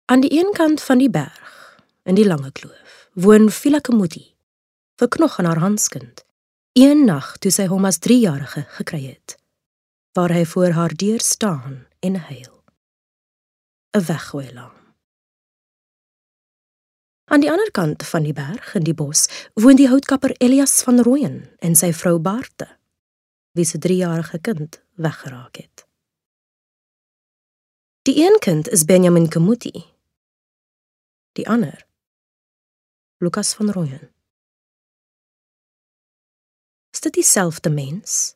Aan die een kant van die berg, in die lange kloof, woon Phila Kemuti, verknog aan haar handskind, een nag toe sy hom as 3-jarige gekry het, waar hy voor haar deur staan en huil. 'n Weggooialarm. Aan die ander kant van die berg, in die bos, woon die houtkapper Elias van Rooyen en sy vrou Baarte, wie se 3-jarige kind weggeraak het. Die een kind is Benjamin Kemuti, die ander, Lukas van Rooyen. Is dit dieselfde mens?